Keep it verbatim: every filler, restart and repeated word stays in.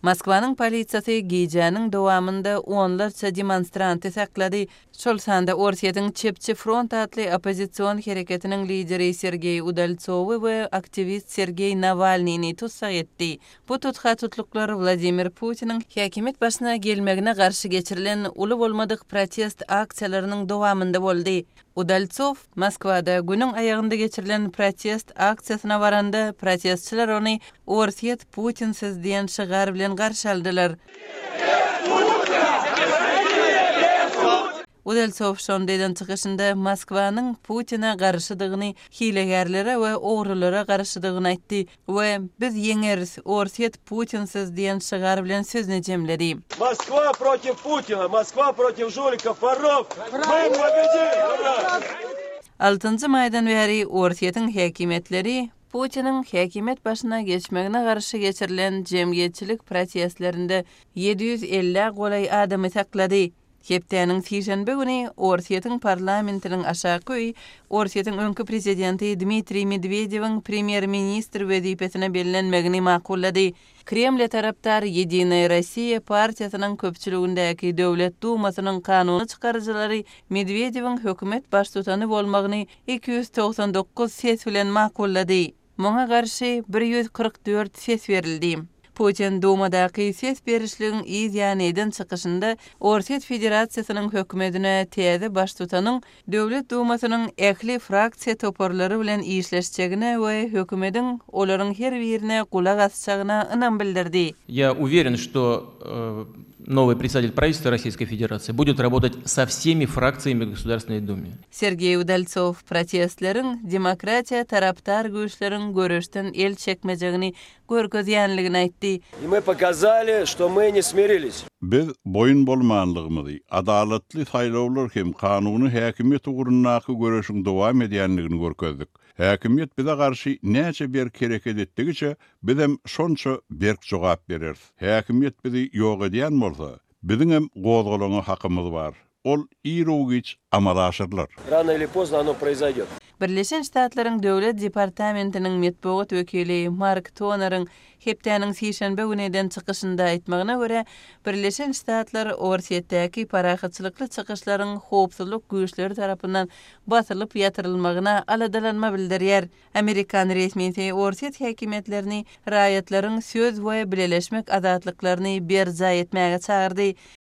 Moskvanın politsiyası gecənin dowamında onlarca demonstrantı sakladı. Şol sanda Orsiyatyň Çepçi Front adly opozisiýon hereketiniň lideri Sergey Udaltsowy we aktivist Sergey Navalnyni tutsak etdi. Bu tutsa tutluklar Vladimir Putin'in häkimet başyna gelmegine garşy geçirilen uly bolmadyk protest aksiýalarynyň dowamında boldy. Udaltsov Moskwada günüň aýagynda geçirilen protest aksiýasyna baranda protestçiler ony Orsiýet Putinsiz diýen şygar bilen garşy aldylar. Udaltsov şondaýdan çykyşynda Moskwanyň Putina garşydygyny, hilegerlere we ogrulara garşydygyny aýtdy we biz ýeňeriz, Orsiýet Putinsiz diýen şygar bilen sözüni jemledi. Moskva против Putina, Moskva против жуликов, воров. Мы победим! altıncı maýdan bäri Orsiýetyň häkimetleri Putin'in häkimet başyna geçmegine garşy geçirilen jemgyýetçilik protestlerinde yedi yüz elli golay adamy saklady. Hepdeniň sişenbe güni Orsiýetyň parlamentiniň aşaky Orsiýetyň öňkü prezidenti Dmitri Medvedew'iň premier ministr wezipesine bellenmegini makullady. Kreml taraptar Yedinaya Rossiya partiýasynyň köpçüligindäki döwlet dumasynyň kanuny çykarjylary Medvedew'iň hökümet baştutany bolmagyny iki yüz toksan dokuz ses bilen makullady. Muňa garşy bir yüz kırk dört ses berildi. Putin Dumadaky ses berişligiň izýanydan çykyşynda Orsiýet Federasiýasynyň hökümetine täze baştutanyň döwlet dumasynyň ähli fraksiýa toparlary bilen işleşjegine we hökümetiň olaryň her birine gulak asjagyna ynam bildirdi. Я уверен, что э, новый председатель правительства Российской Федерации будет работать со всеми фракциями в Государственной Думе. Sergey Udaltsov protestleriň demokratiýa taraptar güýçleriň görüşden el çekmejegini görkezýänligini aýtdy. И мы показали, что мы не смирились. Biz boyun bolmanlygymyzy, adalatly saýlawlar hem kanuny häkimet ugrundaky görüşiň dowam edýänligini görkezdik. Häkimet bize garşy näçe bir kereket etdigiçe biz hem şonça berk jogap bereriz. Häkimet bizi ýok edýän bolsa, biziň hem gozgolanyň hakymyz bar. Ol irogiç amalaşyrlar. Rano или поздно оно произойдет. Birleşen Ştatlaryň döwlet departamentiniň medpugat wekili Mark Toner'ın hepdeniň sişenbe güneden çykyşynda aýtmagyna görä, Birleşen Ştatlar Orsiýetdäki parahatçylykly çykyşlaryň howpsuzlyk güýçleri tarapyndan basylyp ýatyrylmagyna aladalanma bildirýär. Amerikan resmiýeti Orsiýet häkimetlerini raýatlaryň söz we bileleşmek azatlyklaryny berza etmäge çağırdy.